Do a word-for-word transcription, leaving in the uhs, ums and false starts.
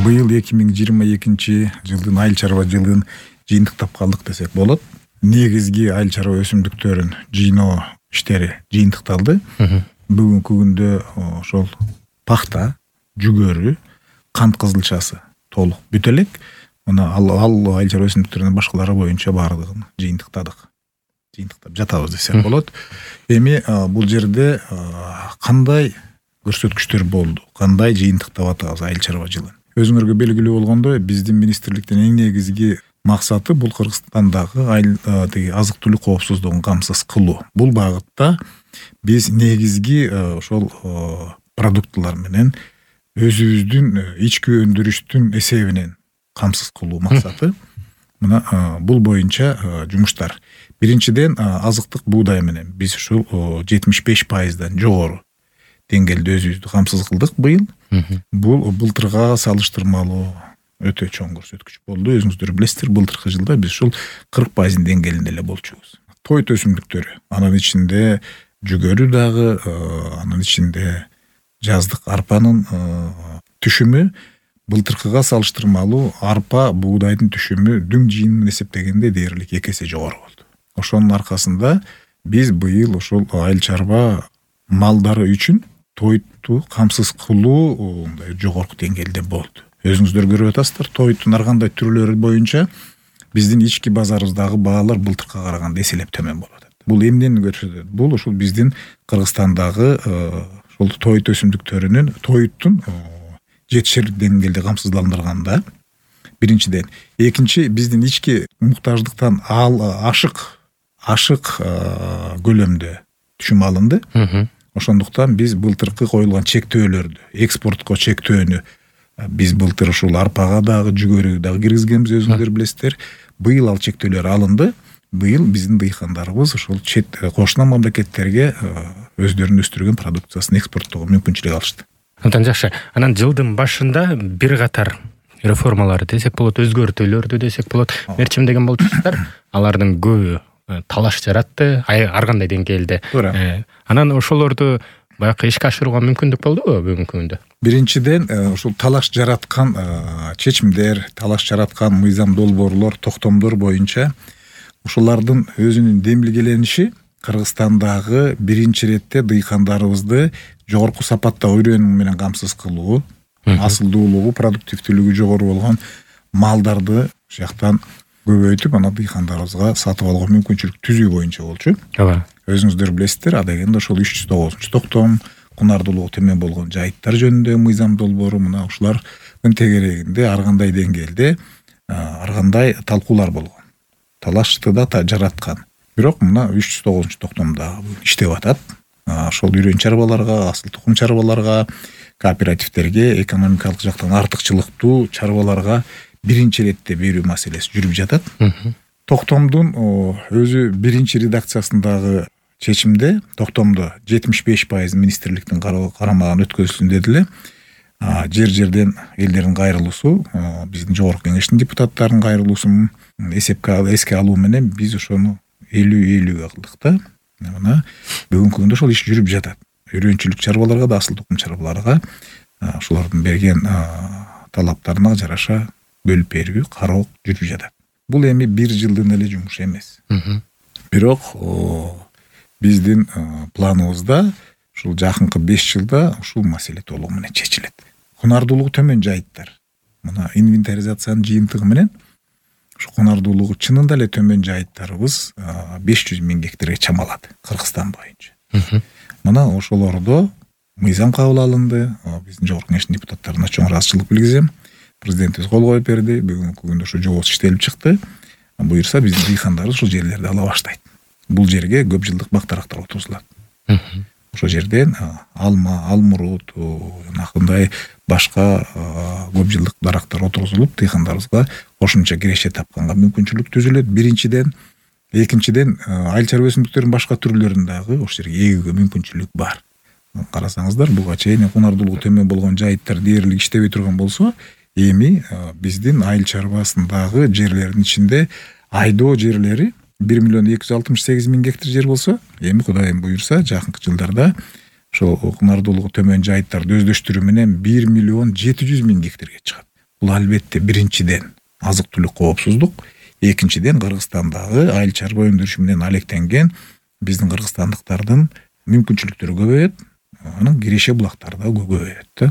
быйыл эки миң жыйырма экинчи жылдын айыл чарба жылын жыйынтыктап калдык десек болот. Негизги айыл чарба өсүмдүктөрүн жыйноо иштери жыйынтыкталды. Бүгүнкү күндө ошол пахта, жүгөрү, кант кызылчасы толук бүтө элек. Мына ал айыл чарба өсүмдүктөрүнүн башкалары боюнча баардыгын жыйынтыктадык. Жыйынтыктап жатабыз десек болот. Эми бул жерде кандай көрсөткүчтөр болду, кандай жыйынтыктап атабыз айыл чарба жылын? Өзүңөргө белгилүү болгондой, биздин министрликтин эң негизги максаты бул Кыргызстандагы айыл азык түлүк коопсуздугун камсыз кылуу. Бул багытта биз негизги ошол продуктылар менен өзүбүздүн ички өндүрүштүн эсебинен камсыз кылуу максаты. Мына бул боюнча жумуштар. Биринчиден, азыктык буудай менен биз ушул жетимиш беш пайыздан жогору деңгээлде өзүбүздү камсыз кылдык быйыл. Бул былтырга салыштырмалуу өтө чоң көрсөткүч болду. Өзүңүздөр билесиздер, былтыркы жылда биз ушул кырк пайыздын деңгээлинде эле болчубуз. Тоyот өсүмдүктөрү, анын ичинде жүгөрү дагы, анын ичинде жаздык арпанын түшүмү былтыркыга салыштырмалуу арпа, буудайдын түшүмү дүң жыйынын эсептегенде дээрлик эки эсе жогору болду. Ошонун аркасында биз быйыл ошол айыл чарба малдары үчүн тоyотту камсыз кылуу мындай жогорку деңгээлде болду. Өзүңүздөр көрүп атасыздар, тоyоттун ар кандай түрлөрү боюнча биздин ички базарыбыздагы баалар былтыркыга караганда эселеп төмөн болуп атат. Бул эмнени көрсөтөт? Бул ушул биздин Кыргызстандагы ошол тоyот өсүмдүктөрүнүн тоyоттун жетишерлик деңгээлде камсыздандырганда биринчиден, экинчи биздин ички муктаждыктан ал ашык ашык көлөмдө түшүм алынды. Ошондуктан биз былтыркы коюлган чектөөлөрдү, экспортко чектөөнү биз былтыр ушул арпага дагы, жүгөрүгө дагы киргизгенбиз, өзүңүздөр билесиздер. Быйыл ал чектөөлөр алынды. Быйыл биздин дыйкандарыбыз ушул чет кошуна мамлекеттерге өздөрүнүн өстүргөн продукциясын экспорттоого мүмкүнчүлүк алышты. Абдан жакшы. Анан жылдын башында бир катар реформалар десек болот, өзгөртүүлөрдү десек болот, мерчимдеген болчусуздар. Алардын көбү талаш жаратты, ар кандай деңгээлде. Анан ошолорду баягы ишке ашырууга мүмкүндүк болдубу бүгүнкү күндө? Биринчиден, ушул талаш жараткан чечимдер, талаш жараткан мыйзам долбоорлор, токтомдор боюнча ушулардын өзүнүн демилгелениши Кыргызстандагы биринчи иретте дыйкандарыбызды жогорку сапатта үйрөнүү менен камсыз кылуу, асылдуулугу, продуктивдүүлүгү жогору болгон малдарды ушул жактан көбөйтүп, ана дыйкандарыбызга сатып алууга мүмкүнчүлүк түзүү боюнча болчу. Ооба. Өзүңүздөр билесиздер, адегенде ошол үч жүз тогузунчу токтом, кунардуулугу төмөн болгон жайыттар жөнүндө мыйзам долбоору, мына ушулардын тегерегинде ар кандай деңгээлде ар кандай талкуулар болгон. Талашты да жараткан. Бирок мына үч жүз тогузунчу токтомдо иштеп атат. Ошол үйрөн чарбаларга, асыл тукум чарбаларга, кооперативдерге, экономикалык жактан артыкчылыктуу чарбаларга биринчи иретте берүү маселеси жүрүп жатат. Токтомдун өзү биринчи редакциясындагы чечимде токтомдо жетимиш беш пайыз министрликтин карамагына өткөзүлсүн дедиле. Жер-жерден элдердин кайрылуусу, биздин жогорку кеңештин депутаттарынын кайрылуусун эсепке эске алуу менен биз ошону элүү элүүгө кылдык да. Мына бүгүнкү күндө ошол иш жүрүп жатат. Үйрөнчүлүк чарбаларга да, асыл тукум чарбаларга ошолордун берген талаптарына жараша бөлүп берүү, кароо жүрүп жатат. Бул эми бир жылдын эле жумушу эмес. Бирок биздин планыбызда ушул жакынкы беш жылда ушул маселе толугу менен чечилет. Кунардуулугу төмөн жайыттар. Мына инвентаризациянын жыйынтыгы менен ушу кунардуулугу чынында эле төмөн жайыттарыбыз беш жүз миң гектарга чамалат Кыргызстан боюнча. Мына ошолордо мыйзам кабыл алынды. Биздин жогорку кеңештин депутаттарына чоң ыраазычылык билгизем. Президентибиз кол коюп берди. Бүгүнкү күндө ушу жобосу иштелип чыкты. Буюрса биздин дыйкандарыбыз ушул жерлерди ала баштайт. Бул жерге көп жылдык бактарактар отургузулат. Ошол жерден алма, алмурут, жанагындай башка көп жылдык дарактар отургузулуп, дыйкандарыбызга кошумча киреше тапканга мүмкүнчүлүк түзүлөт. Биринчиден, экинчиден, айыл чарба өсүмдүктөрүнүн башка түрлөрүн дагы ошол жерге эгүүгө мүмкүнчүлүк бар. Карасаңыздар, буга чейин кунардуулугу төмөн болгон жайыттар дээрлик иштебей турган болсо, эми биздин айыл чарбасындагы жерлердин ичинде айдоо жерлери бир миллион эки жүз алтымыш сегиз миң гектар жер болсо, эми Кудайым буйрса, жакынкы жылдарда ошол кунардуулугу төмөн жайыттарды өздөштүрүү менен бир миллион жети жүз миң гектарга чыгат. бул албетте биринчиден азык түлүк коопсуздук, экинчиден Кыргызстандагы айыл чарба өндүрүшү менен алектенген биздин кыргызстандыктардын мүмкүнчүлүктөрү көбөйөт, анан киреше булактары да көбөйөт да.